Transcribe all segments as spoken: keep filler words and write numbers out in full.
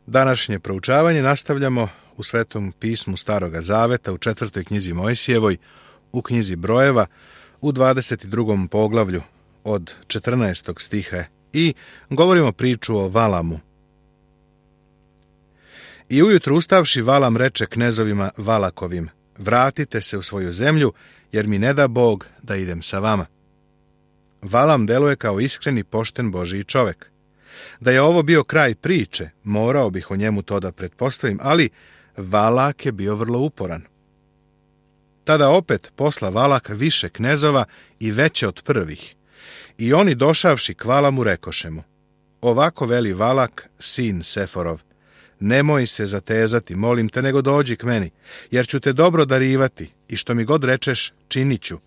Današnje proučavanje nastavljamo u Svetom pismu Staroga Zaveta, u četvrtoj knjizi Mojsijevoj, u knjizi Brojeva, u dvadeset drugom poglavlju od četrnaestog stiha i govorimo priču o Valamu. I ujutro ustavši Valam reče knezovima Valakovim: vratite se u svoju zemlju, jer mi ne da Bog da idem sa vama. Valam deluje kao iskren i pošten Božiji čovek. Da je ovo bio kraj priče, morao bih o njemu to da pretpostavim, ali Valak je bio vrlo uporan. Tada opet posla Valak više knezova i veće od prvih. I oni došavši k Valamu rekoše mu: ovako veli Valak, sin Seforov, nemoj se zatezati, molim te, nego dođi k meni, jer ću te dobro darivati i što mi god rečeš, činit ću.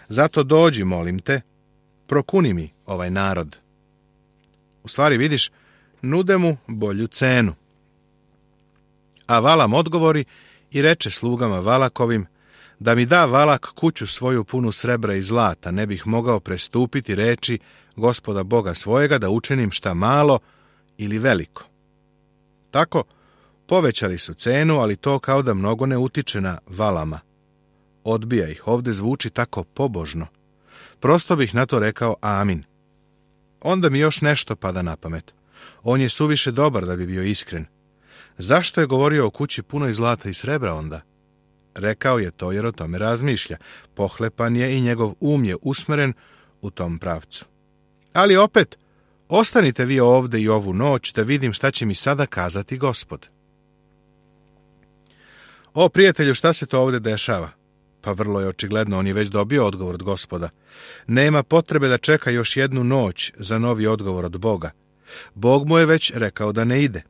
Zato dođi, molim te, prokuni mi ovaj narod. U stvari, vidiš, nude mu bolju cenu. A Valam odgovori i reče slugama Valakovim: da mi da Valak kuću svoju punu srebra i zlata, ne bih mogao prestupiti reči Gospoda Boga svojega da učinim šta malo ili veliko. Tako povećali su cenu, ali to kao da mnogo ne utiče na Valama. Odbija ih, ovde zvuči tako pobožno. Prosto bih na to rekao amin. Onda mi još nešto pada na pamet. On je suviše dobar da bi bio iskren. Zašto je govorio o kući punoj zlata i srebra onda? Rekao je to jer o tome razmišlja. Pohlepan je i njegov um je usmeren u tom pravcu. Ali opet, ostanite vi ovde i ovu noć da vidim šta će mi sada kazati Gospod. O, prijatelju, šta se to ovde dešava? Pa vrlo je očigledno, on je već dobio odgovor od Gospoda. Nema potrebe da čeka još jednu noć za novi odgovor od Boga. Bog mu je već rekao da ne ide.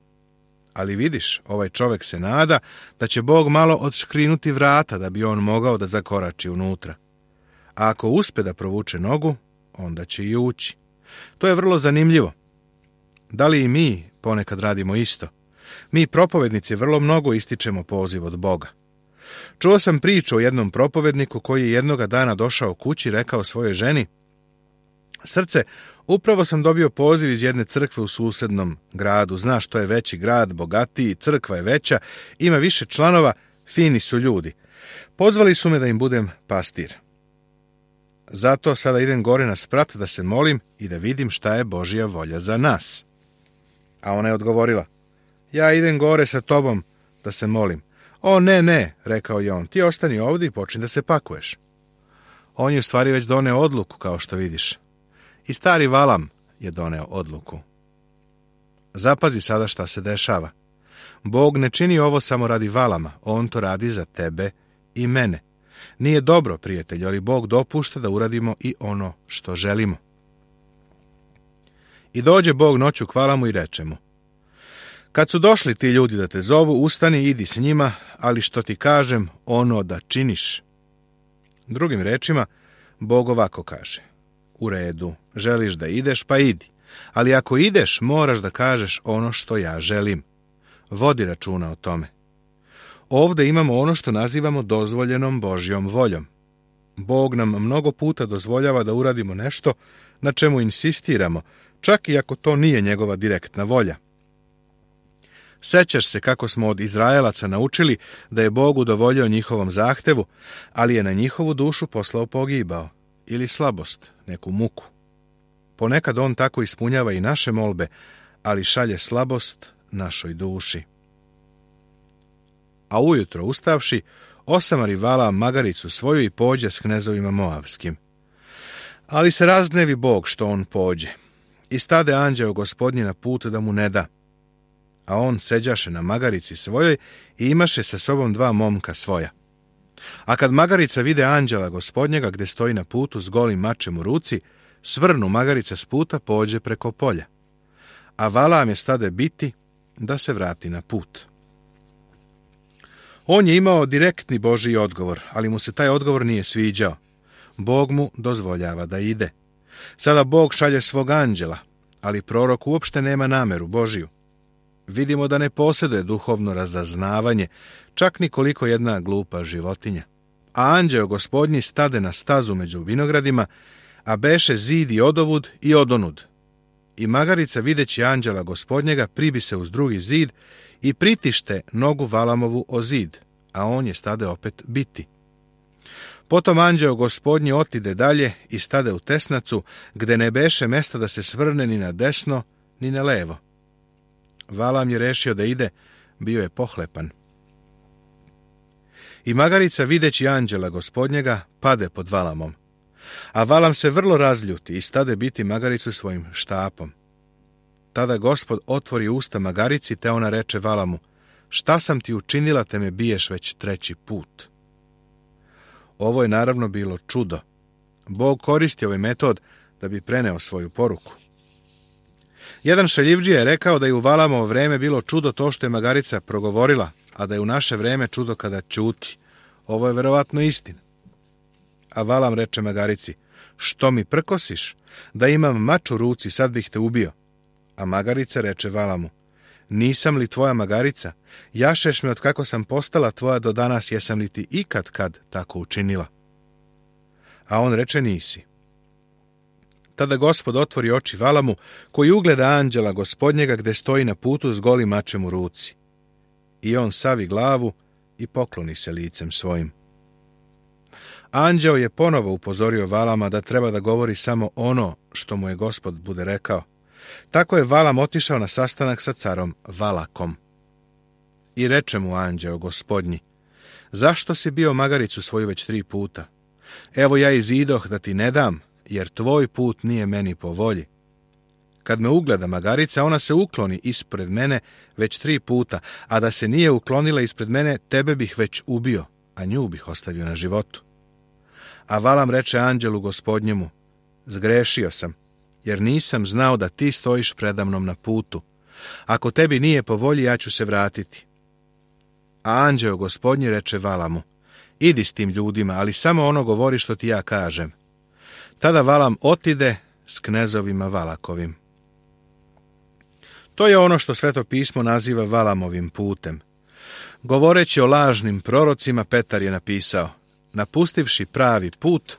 Ali vidiš, ovaj čovek se nada da će Bog malo odškrinuti vrata da bi on mogao da zakorači unutra. A ako uspe da provuče nogu, onda će i ući. To je vrlo zanimljivo. Da li i mi ponekad radimo isto? Mi propovednici vrlo mnogo ističemo poziv od Boga. Čuo sam priču o jednom propovedniku koji je jednoga dana došao kući i rekao svojoj ženi: srce, upravo sam dobio poziv iz jedne crkve u susednom gradu. Znaš, to je veći grad, bogatiji, crkva je veća, ima više članova, fini su ljudi. Pozvali su me da im budem pastir. Zato sada idem gore na sprat da se molim i da vidim šta je Božja volja za nas. A ona je odgovorila: ja idem gore sa tobom da se molim. O, ne, ne, rekao je on, ti ostani ovdje i počni da se pakuješ. On je u stvari već doneo odluku, kao što vidiš. I stari Valam je doneo odluku. Zapazi sada šta se dešava. Bog ne čini ovo samo radi Valama, on to radi za tebe i mene. Nije dobro, prijatelj, ali Bog dopušta da uradimo i ono što želimo. I dođe Bog noću k Valamu i reče mu: kad su došli ti ljudi da te zovu, ustani i idi s njima, ali što ti kažem, ono da činiš. Drugim rečima, Bog ovako kaže: u redu, želiš da ideš, pa idi. Ali ako ideš, moraš da kažeš ono što ja želim. Vodi računa o tome. Ovde imamo ono što nazivamo dozvoljenom Božjom voljom. Bog nam mnogo puta dozvoljava da uradimo nešto na čemu insistiramo, čak i ako to nije njegova direktna volja. Sećaš se kako smo od Izraelaca naučili da je Bog udovoljio njihovom zahtevu, ali je na njihovu dušu poslao pogibao ili slabost, neku muku. Ponekad on tako ispunjava i naše molbe, ali šalje slabost našoj duši. A ujutro ustavši, osamari Valam magaricu svoju i pođe s knezovima Moavskim. Ali se razgnevi Bog što on pođe. I stade anđeo Gospodnji na put da mu ne da. A on seđaše na magarici svojoj i imaše sa sobom dva momka svoja. A kad magarica vide anđela Gospodnjega gde stoji na putu s golim mačem u ruci, svrnu magarica s puta, pođe preko polja. A Valam je stade biti da se vrati na put. On je imao direktni Božji odgovor, ali mu se taj odgovor nije sviđao. Bog mu dozvoljava da ide. Sada Bog šalje svog anđela, ali prorok uopšte nema nameru Božiju. Vidimo da ne posjeduje duhovno razaznavanje, čak ni koliko jedna glupa životinja. A anđeo Gospodnji stade na stazu među vinogradima, a beše zid i odovud i odonud. I magarica, videći anđela gospodnjega, pribi se uz drugi zid i pritište nogu Valamovu o zid, a on je stade opet biti. Potom anđeo gospodnji otide dalje i stade u tesnacu, gde ne beše mesta da se svrne ni na desno, ni na levo. Valam je rešio da ide, bio je pohlepan. I magarica, videći anđela gospodnjega, pade pod Valamom. A Valam se vrlo razljuti i stade biti magaricu svojim štapom. Tada Gospod otvori usta magarici, te ona reče Valamu: šta sam ti učinila, te me biješ već treći put? Ovo je naravno bilo čudo. Bog koristi ovaj metod da bi preneo svoju poruku. Jedan šaljivdžija je rekao da je u Valamovo vreme bilo čudo to što je magarica progovorila, a da je u naše vreme čudo kada ćuti. Ovo je verovatno istina. A Valam reče magarici: što mi prkosiš? Da imam mač u ruci, sad bih te ubio. A magarica reče Valamu: nisam li tvoja magarica? Jašeš me od kako sam postala tvoja do danas, jesam li ti ikad kad tako učinila? A on reče: nisi. Tada Gospod otvori oči Valamu, koji ugleda anđela gospodnjega gde stoji na putu s golim mačem u ruci. I on savi glavu i pokloni se licem svojim. Anđeo je ponovo upozorio Valama da treba da govori samo ono što mu je Gospod bude rekao. Tako je Valam otišao na sastanak sa carom Valakom. I reče mu anđeo gospodnji: zašto si bio magaricu svoju već tri puta? Evo ja izidoh da ti ne dam, jer tvoj put nije meni po volji. Kad me ugleda magarica, ona se ukloni ispred mene već tri puta, a da se nije uklonila ispred mene, tebe bih već ubio, a nju bih ostavio na životu. A Valam reče anđelu gospodnjemu: zgrešio sam, jer nisam znao da ti stojiš predamnom na putu. Ako tebi nije po volji, ja ću se vratiti. A anđeo gospodnji reče Valamu: idi s tim ljudima, ali samo ono govori što ti ja kažem. Tada Valam otide s knezovima Valakovim. To je ono što Sveto pismo naziva Valamovim putem. Govoreći o lažnim prorocima, Petar je napisao: napustivši pravi put,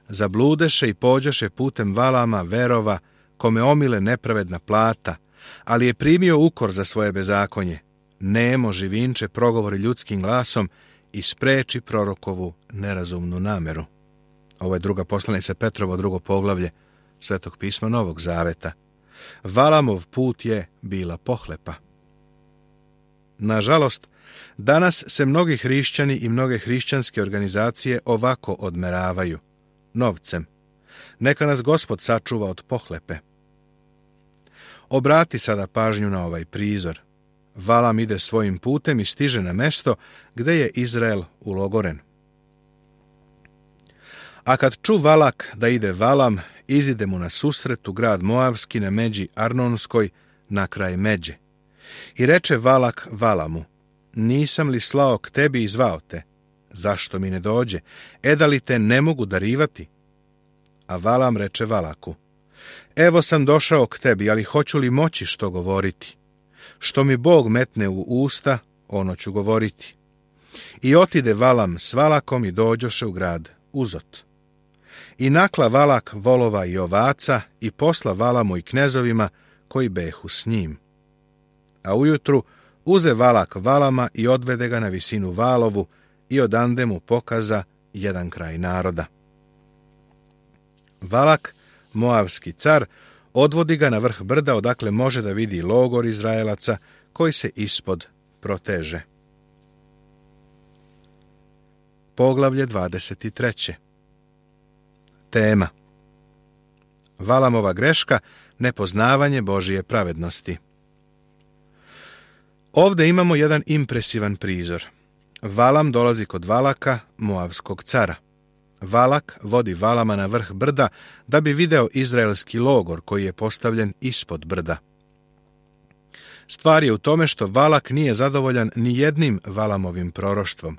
zabludeše i pođeše putem Valama, verova, kome omile nepravedna plata, ali je primio ukor za svoje bezakonje. Nemo živinče progovori ljudskim glasom i spreči prorokovu nerazumnu nameru. Ovo je druga poslanica Petrovo, drugo poglavlje Svetog pisma Novog Zaveta. Valamov put je bila pohlepa. Nažalost, danas se mnogi hrišćani i mnoge hrišćanske organizacije ovako odmeravaju: novcem. Neka nas Gospod sačuva od pohlepe. Obrati sada pažnju na ovaj prizor. Valam ide svojim putem i stiže na mesto gde je Izrael ulogoren. A kad ču Valak da ide Valam, izide mu na susret u grad Moavski na međi Arnonskoj, na kraj međe. I reče Valak Valamu: nisam li slao k tebi i zvao te? Zašto mi ne dođe? E da li te ne mogu darivati? A Valam reče Valaku: evo sam došao k tebi, ali hoću li moći što govoriti? Što mi Bog metne u usta, ono ću govoriti. I otide Valam s Valakom i dođoše u grad Uzot. I nakla Valak volova i ovaca i posla Valamu i knezovima koji behu s njim. A ujutru uze Valak Valama i odvede ga na visinu Valovu i odande mu pokaza jedan kraj naroda. Valak, Moavski car, odvodi ga na vrh brda odakle može da vidi logor Izraelaca koji se ispod proteže. Poglavlje dvadeset treće. Tema: Valamova greška, nepoznavanje Božije pravednosti. Ovde imamo jedan impresivan prizor. Valam dolazi kod Valaka, Moavskog cara. Valak vodi Valama na vrh brda da bi video izraelski logor koji je postavljen ispod brda. Stvar je u tome što Valak nije zadovoljan ni jednim Valamovim proroštvom.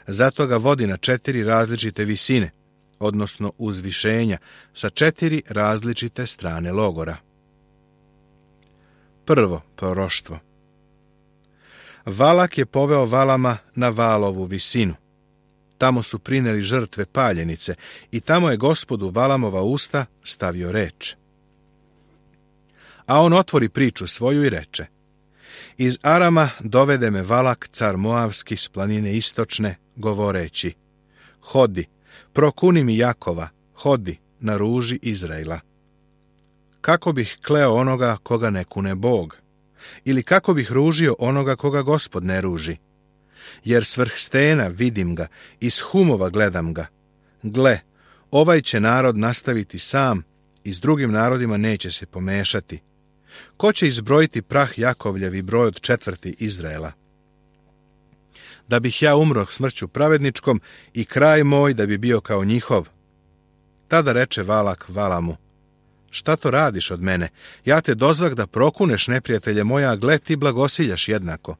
Zato ga vodi na četiri različite visine, odnosno uzvišenja, sa četiri različite strane logora. Prvo proroštvo. Valak je poveo Valama na Valovu visinu. Tamo su prineli žrtve paljenice i tamo je Gospodu Valamova usta stavio reč. A on otvori priču svoju i reče: Iz Arama dovede me Valak, car Moavski, s planine istočne, govoreći: Hodi, prokuni mi Jakova, hodi, na ruži Izraela. Kako bih kleo onoga koga ne kune Bog? Ili kako bih ružio onoga koga Gospod ne ruži? Jer s vrh stena vidim ga, iz humova gledam ga. Gle, ovaj će narod nastaviti sam i s drugim narodima neće se pomešati. Ko će izbrojiti prah Jakovljev i broj od četvrti Izraela? Da bih ja umro smrću pravedničkom i kraj moj da bi bio kao njihov. Tada reče Valak Valamu: Šta to radiš od mene? Ja te dozvak da prokuneš neprijatelje moja, a gle ti blagosiljaš jednako.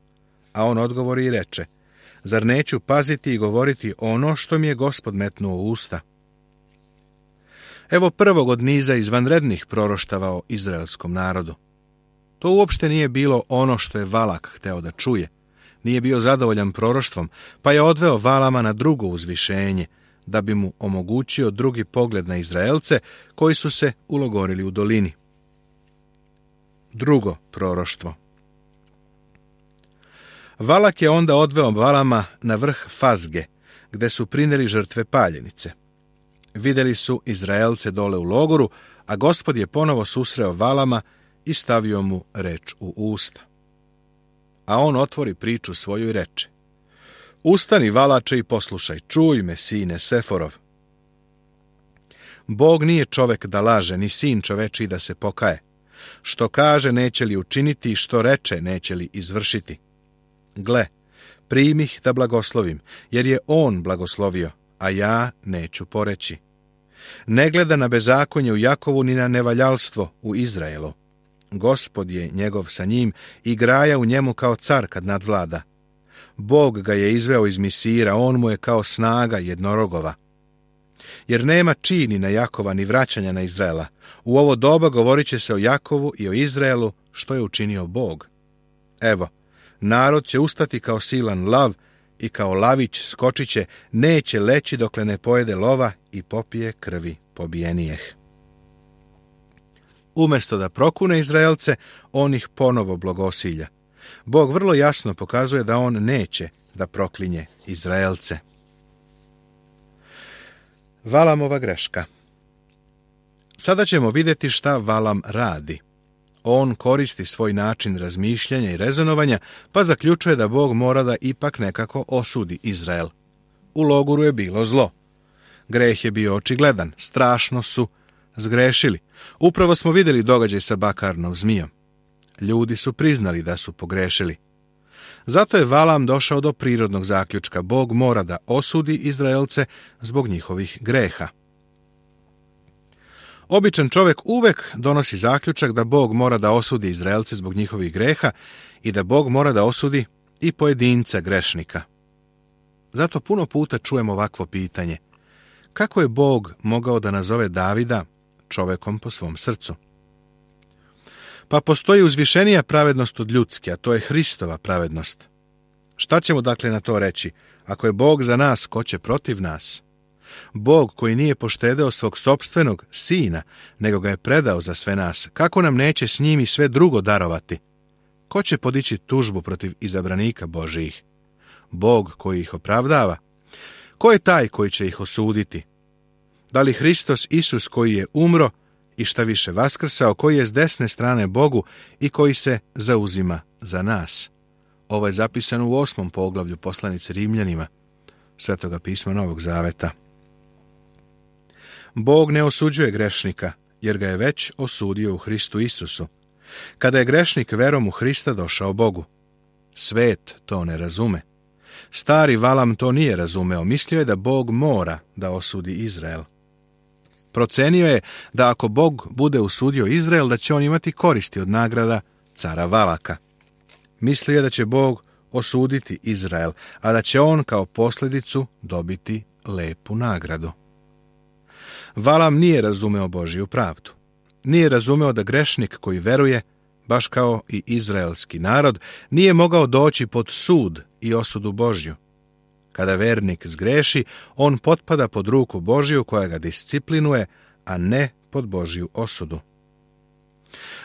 A on odgovori i reče: Zar neću paziti i govoriti ono što mi je Gospod metnuo u usta? Evo prvog od niza izvanrednih proroštava o izraelskom narodu. To uopšte nije bilo ono što je Valak hteo da čuje. Nije bio zadovoljan proroštvom, pa je odveo Valama na drugo uzvišenje, da bi mu omogućio drugi pogled na Izraelce koji su se ulogorili u dolini. Drugo proroštvo. Valak je onda odveo Valama na vrh Fazge, gde su prineli žrtve paljenice. Vidjeli su Izraelce dole u logoru, a Gospod je ponovo susreo Valama i stavio mu reč u usta. A on otvori priču svoju i reče: Ustani, Valače, i poslušaj, čuj me, sine Seforov. Bog nije čovek da laže, ni sin čovečiji da se pokaje. Što kaže, neće li učiniti, i što reče, neće li izvršiti. Gle, primih da blagoslovim, jer je on blagoslovio, a ja neću poreći. Ne gleda na bezakonje u Jakovu, ni na nevaljalstvo u Izraelu. Gospod je njegov sa njim i graja u njemu kao car kad nadvlada. Bog ga je izveo iz Misira, on mu je kao snaga jednorogova. Jer nema čini na Jakova ni vraćanja na Izraela. U ovo doba govorit će se o Jakovu i o Izraelu, što je učinio Bog. Evo, narod će ustati kao silan lav i kao lavić skočit će, neće leći dokle ne pojede lova i popije krvi pobijenijeh. Umjesto da prokune Izraelce, on ih ponovo blagosilja. Bog vrlo jasno pokazuje da on neće da proklinje Izraelce. Valamova greška. Sada ćemo vidjeti šta Valam radi. On koristi svoj način razmišljanja i rezonovanja, pa zaključuje da Bog mora da ipak nekako osudi Izrael. U logoru je bilo zlo. Greh je bio očigledan, strašno su zgrešili. Upravo smo vidjeli događaj sa bakarnom zmijom. Ljudi su priznali da su pogrešili. Zato je Valam došao do prirodnog zaključka: Bog mora da osudi Izraelce zbog njihovih greha. Običan čovjek uvek donosi zaključak da Bog mora da osudi Izraelce zbog njihovih greha i da Bog mora da osudi i pojedinca grešnika. Zato puno puta čujemo ovakvo pitanje: kako je Bog mogao da nazove Davida čovekom po svom srcu? Pa postoji uzvišenija pravednost od ljudske, a to je Hristova pravednost. Šta ćemo dakle na to reći? Ako je Bog za nas, ko će protiv nas? Bog koji nije poštedeo svog sopstvenog sina, nego ga je predao za sve nas, kako nam neće s njim i sve drugo darovati? Ko će podići tužbu protiv izabranika Božijih? Bog koji ih opravdava? Ko je taj koji će ih osuditi? Da li Hristos Isus koji je umro i šta više vaskrsao, koji je s desne strane Bogu i koji se zauzima za nas? Ovo je zapisano u osmom poglavlju poslanice Rimljanima, Svetoga pisma Novog Zaveta. Bog ne osuđuje grešnika, jer ga je već osudio u Hristu Isusu, kada je grešnik verom u Hrista došao Bogu. Svet to ne razume. Stari Valam to nije razumeo, mislio je da Bog mora da osudi Izrael. Procenio je da ako Bog bude osudio Izrael, da će on imati koristi od nagrada cara Valaka. Mislio je da će Bog osuditi Izrael, a da će on kao posljedicu dobiti lepu nagradu. Valam nije razumeo Božiju pravdu. Nije razumeo da grešnik koji veruje, baš kao i izraelski narod, nije mogao doći pod sud i osudu Božju. Kada vernik zgreši, on potpada pod ruku Božju koja ga disciplinuje, a ne pod Božju osudu.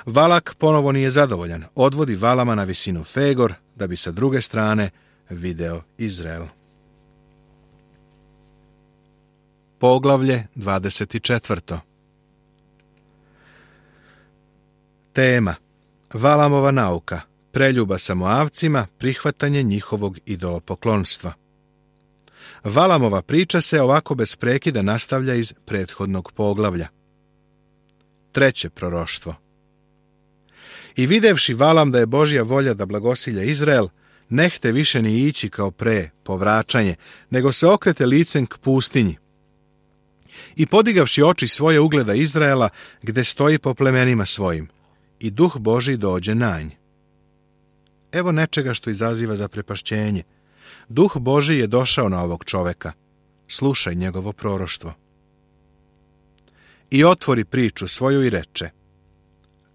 Valak ponovo nije zadovoljan, odvodi Valama na visinu Fegor, da bi sa druge strane video Izrael. Poglavlje dvadeset četvrto. Tema: Valamova nauka, preljuba sa Moavcima, prihvatanje njihovog idolopoklonstva. Valamova priča se ovako bez prekida nastavlja iz prethodnog poglavlja. Treće proroštvo. I videvši Valam da je Božja volja da blagosilja Izrael, nehte više ni ići kao pre, povraćanje, nego se okrete licem k pustinji. I podigavši oči svoje ugleda Izraela, gde stoji po plemenima svojim, i duh Božji dođe na nj. Evo nečega što izaziva zaprepašćenje. Duh Božji je došao na ovog čoveka. Slušaj njegovo proroštvo. I otvori priču svoju i reče: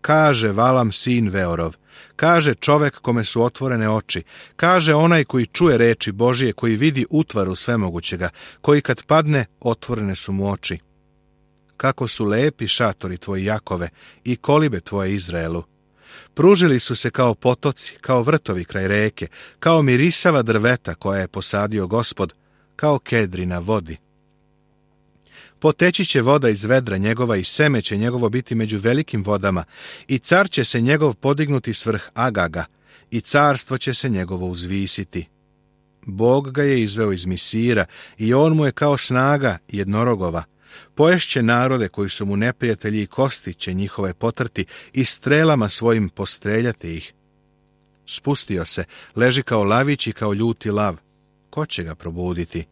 Kaže Valam sin Veorov, kaže čovek kome su otvorene oči, kaže onaj koji čuje reči Božije, koji vidi utvaru svemogućega, koji kad padne, otvorene su mu oči. Kako su lepi šatori tvoji Jakove i kolibe tvoje Izraelu. Pružili su se kao potoci, kao vrtovi kraj reke, kao mirisava drveta koja je posadio Gospod, kao kedri na vodi. Poteći će voda iz vedra njegova i seme će njegovo biti među velikim vodama, i car će se njegov podignuti svrh Agaga, i carstvo će se njegovo uzvisiti. Bog ga je izveo iz Misira, i on mu je kao snaga jednorogova. Poješće narode koji su mu neprijatelji, i kosti će njihove potrti, i strelama svojim postreljati ih. Spustio se, leži kao lavić i kao ljuti lav. Ko će ga probuditi?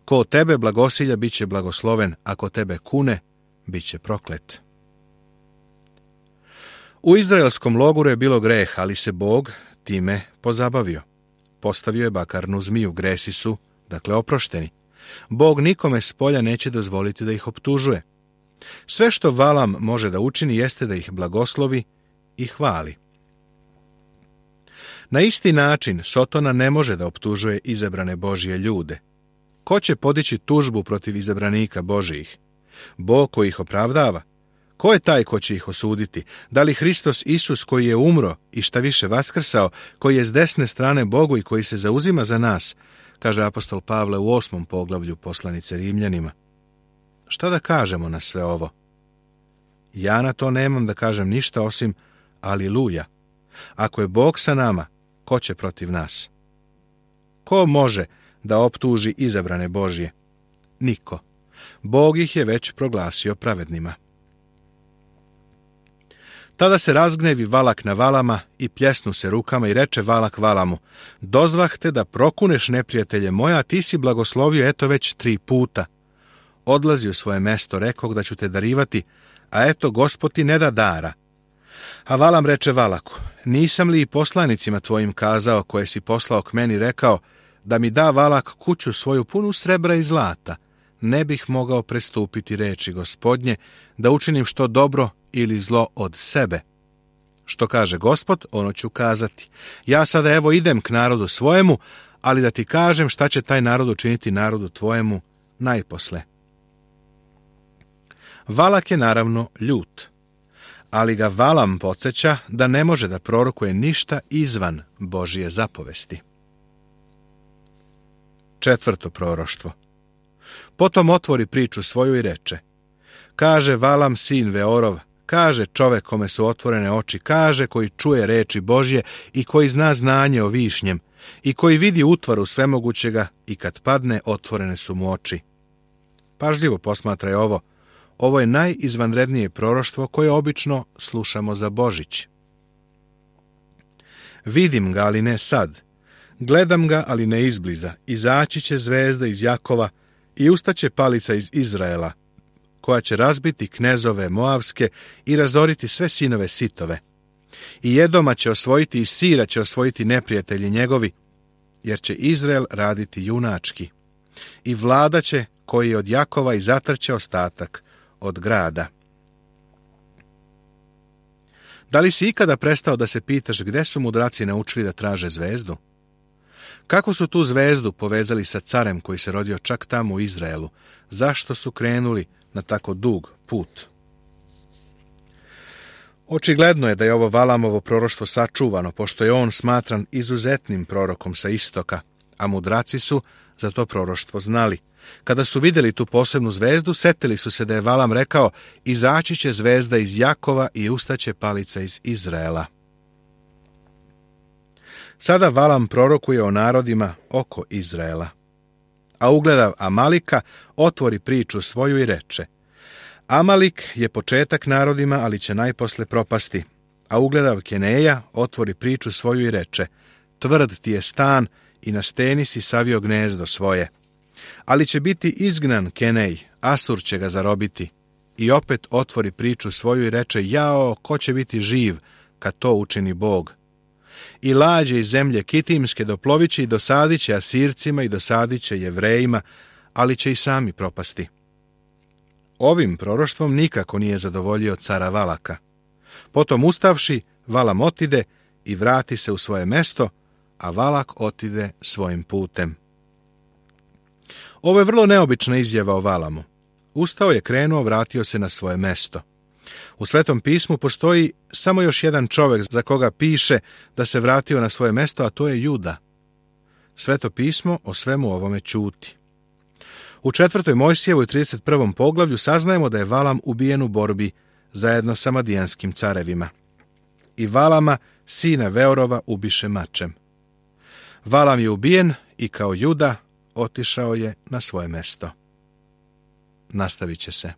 Ko tebe blagosilja, bit će blagosloven, a ko tebe kune, bit će proklet. U izraelskom logoru je bilo greh, ali se Bog time pozabavio. Postavio je bakarnu zmiju, gresi su, dakle, oprošteni. Bog nikome s polja neće dozvoliti da ih optužuje. Sve što Valam može da učini jeste da ih blagoslovi i hvali. Na isti način Sotona ne može da optužuje izabrane Božje ljude. Ko će podići tužbu protiv izabranika Božijih? Bog koji ih opravdava? Ko je taj ko će ih osuditi? Da li Hristos Isus koji je umro i šta više vaskrsao, koji je s desne strane Bogu i koji se zauzima za nas, kaže apostol Pavle u osmom poglavlju poslanice Rimljanima. Šta da kažemo na sve ovo? Ja na to nemam da kažem ništa osim aliluja. Ako je Bog sa nama, ko će protiv nas? Ko može da optuži izabrane Božje? Niko. Bog ih je već proglasio pravednima. Tada se razgnevi Valak na Valama i pljesnu se rukama i reče Valak Valamu: Dozvah te da prokuneš neprijatelje moja, a ti si blagoslovio eto već tri puta. Odlazi u svoje mesto, rekog da ću te darivati, a eto Gospod ti ne da dara. A Valam reče Valaku: Nisam li i poslanicima tvojim kazao, koje si poslao k meni, rekao da mi da Valak kuću svoju punu srebra i zlata, ne bih mogao prestupiti reči Gospodnje, da učinim što dobro ili zlo od sebe. Što kaže Gospod, ono ću kazati. Ja sada evo idem k narodu svojemu, ali da ti kažem šta će taj narod učiniti narodu tvojemu najposle. Valak je naravno ljut, ali ga Valam podsjeća da ne može da prorokuje ništa izvan Božije zapovesti. Četvrto proroštvo. Potom otvori priču svoju i reče: Kaže Valam sin Veorov, kaže čovek kome su otvorene oči, kaže koji čuje reči Božje i koji zna znanje o višnjem, i koji vidi utvaru svemogućega i kad padne, otvorene su mu oči. Pažljivo posmatraj ovo. Ovo je najizvanrednije proroštvo koje obično slušamo za Božić. Vidim ga, ali ne sad. Gledam ga, ali ne izbliza. Izaći će zvezda iz Jakova i ustaće palica iz Izraela, koja će razbiti knezove Moavske i razoriti sve sinove Sitove. I Edoma će osvojiti i Sira će osvojiti neprijatelji njegovi, jer će Izrael raditi junački. I vlada će koji od Jakova i zatrće ostatak od grada. Da li si ikada prestao da se pitaš gde su mudraci naučili da traže zvezdu? Kako su tu zvezdu povezali sa carem koji se rodio čak tamo u Očigledno je da je ovo Valamovo proroštvo sačuvano, pošto je on smatran izuzetnim prorokom sa istoka, a mudraci su za to proroštvo znali. Kada su vidjeli tu posebnu zvezdu, setili su se da je Valam rekao: izaći će zvezda iz Jakova i ustaće palica iz Izraela. Sada Valam prorokuje o narodima oko Izraela. A ugledav Amalika, otvori priču svoju i reče: Amalik je početak narodima, ali će najposle propasti. A ugledav Keneja, otvori priču svoju i reče: tvrd ti je stan i na steni si savio gnezdo svoje. Ali će biti izgnan Kenej, Asur će ga zarobiti. I opet otvori priču svoju i reče: jao, ko će biti živ kad to učini Bog? I lađe iz zemlje Kitimske doplovit će i dosadit će Asircima i dosadit će Jevrejima, ali će i sami propasti. Ovim proroštvom nikako nije zadovoljio cara Valaka. Potom ustavši, Valam otide i vrati se u svoje mesto, a Valak otide svojim putem. Ovo je vrlo neobična izjava o Valamu. Ustao je, krenuo, vratio se na svoje mesto. U Svetom pismu postoji samo još jedan čovjek za koga piše da se vratio na svoje mesto, a to je Juda. Sveto pismo o svemu ovome ćuti. U četvrtoj Mojsijevoj trideset prvom poglavlju saznajemo da je Valam ubijen u borbi zajedno sa madijanskim carevima. I Valama, sina Veorova, ubiše mačem. Valam je ubijen i kao Juda otišao je na svoje mesto. Nastavit će se.